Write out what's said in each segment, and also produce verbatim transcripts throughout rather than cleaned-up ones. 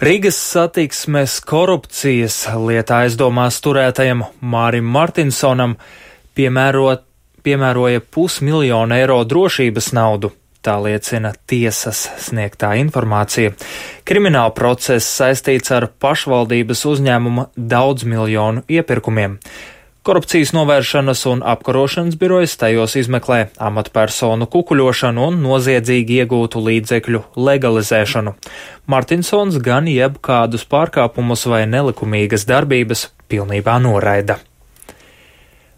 Rīgas satiksmes korupcijas lietā aizdomās turētajam Mārim Martinsonam piemērot, piemēroja pusmiljonu eiro drošības naudu. Tā liecina tiesas sniegtā informācija. Krimināla process saistīts ar pašvaldības uzņēmuma daudzmiljonu iepirkumiem. Korupcijas novēršanas un apkarošanas birojas tajos izmeklē amatpersonu kukuļošanu un noziedzīgi iegūtu līdzekļu legalizēšanu. Martinsons gan jebkādus pārkāpumus vai nelikumīgas darbības pilnībā noraida.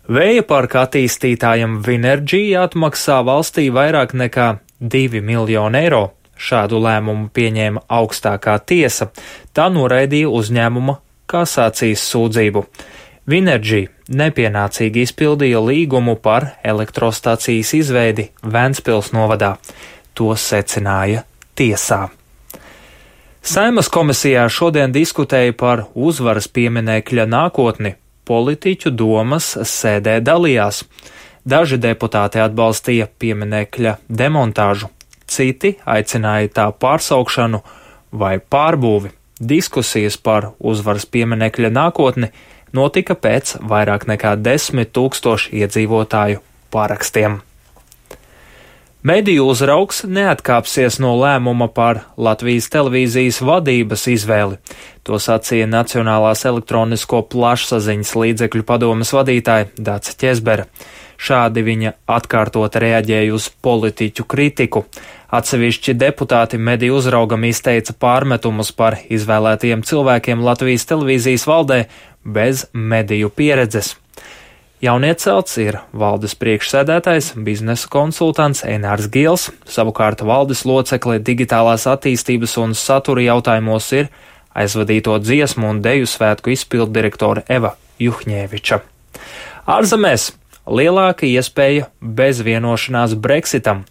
Vēja parka attīstītājam Vinergy atmaksā valstī vairāk nekā divi miljoni eiro. Šādu lēmumu pieņēma augstākā tiesa. Tā noraidīja uzņēmuma kasācijas sūdzību. Vinergy nepienācīgi izpildīja līgumu par elektrostacijas izveidi Ventspils novadā. To secināja tiesā. Saeimas komisijā šodien diskutēja par uzvaras pieminekļa nākotni. Politiķu domas sēdē dalījās. Daži deputāti atbalstīja pieminekļa demontāžu, citi aicināja tā pārsaukšanu vai pārbūvi. Diskusijas par uzvaras pieminekļa nākotni notika pēc vairāk nekā desmit tūkstošu iedzīvotāju parakstiem. Mediju uzraugs neatkāpsies no lēmuma par Latvijas televīzijas vadības izvēli. To sacīja Nacionālās elektronisko plašsaziņas līdzekļu padomes vadītāja Dace Ķezbere. Šādi viņa atkārtot reaģēja uz politiķu kritiku. Atsevišķi deputāti mediju uzraugam izteica pārmetumus par izvēlētajiem cilvēkiem Latvijas televīzijas valdē bez mediju pieredzes. Jauniecelts ir valdes priekšsēdētājs, biznesa konsultants Enārs Gils, savukārt valdes locekle digitālās attīstības un satura jautājumos ir aizvadīto dziesmu un deju svētku izpilddirektore Eva Juhņēviča. Ārzemēs lielāka iespēja bez vienošanās Brexitam.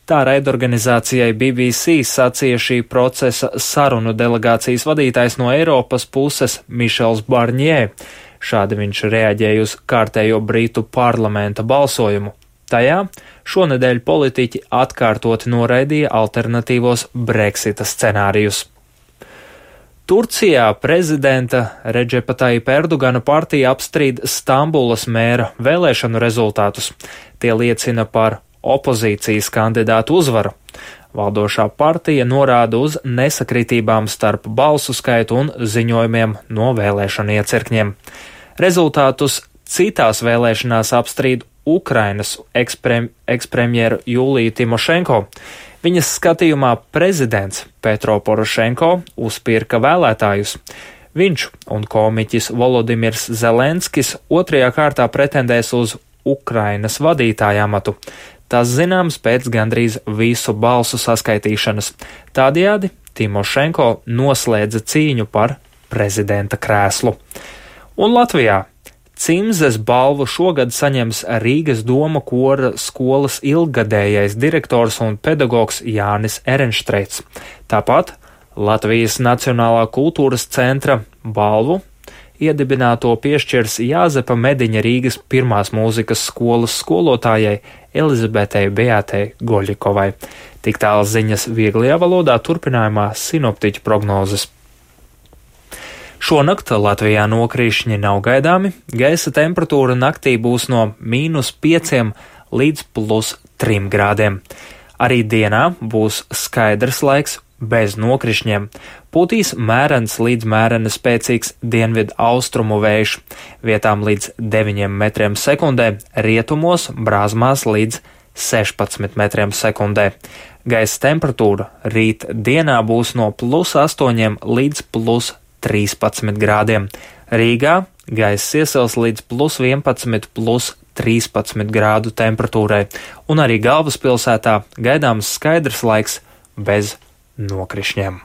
Tā raidorganizācijai B B C sacīja šī procesa sarunu delegācijas vadītājs no Eiropas puses Mišels Barņē. Šādi viņš reaģēja uz kārtējo Britu parlamenta balsojumu. Tajā šonedēļ politiķi atkārtoti noraidīja alternatīvos Brexita scenārijus. Turcijā prezidenta Redžepa Tajipa Erdogana partija apstrīd Stambulas mēra vēlēšanu rezultātus. Tie liecina par opozīcijas kandidātu uzvaru. Valdošā partija norāda uz nesakritībām starp balsu skaitu un ziņojumiem no vēlēšanu iecirkņiem. Rezultātus citās vēlēšanās apstrīd Ukrainas eksprem, ekspremjeru Juliju Timošenko. Viņas skatījumā prezidents Petro Porošenko uzpirka vēlētājus. Viņš un komiķis Volodimirs Zelenskis otrajā kārtā pretendēs uz Ukrainas vadītāja amatu. Tas zināms pēc gandrīz visu balsu saskaitīšanas. Tādējādi Timošenko noslēdza cīņu par prezidenta krēslu. Un Latvijā Cimzes balvu šogad saņems Rīgas doma kora skolas ilggadējais direktors un pedagogs Jānis Erenštreits. Tāpat Latvijas Nacionālā kultūras centra balvu iedibināto piešķirs Jāzepa Mediņa Rīgas pirmās mūzikas skolas skolotājai Elizabetei Beatei Goļikovai. Tik tālu ziņas vieglajā valodā, turpinājumā sinoptiķu prognozes. Šonakt Latvijā nokrišņi nav gaidāmi, gaisa temperatūra naktī būs no mīnus pieciem līdz plus trim grādiem. Arī dienā būs skaidrs laiks bez nokrišņiem. Pūtīs mērens līdz mērena spēcīgs dienvidu austrumu vējš, vietām līdz deviņiem metriem sekundē, rietumos brāzmās līdz sešpadsmit metriem sekundē. Gaisa temperatūra rīt dienā būs no plus astoņiem līdz plus trīspadsmit grādiem. Rīgā gaiss iesils līdz plus vienpadsmit, plus trīspadsmit grādu temperatūrai, un arī galvaspilsētā gaidāms skaidrs laiks bez nokrišņiem.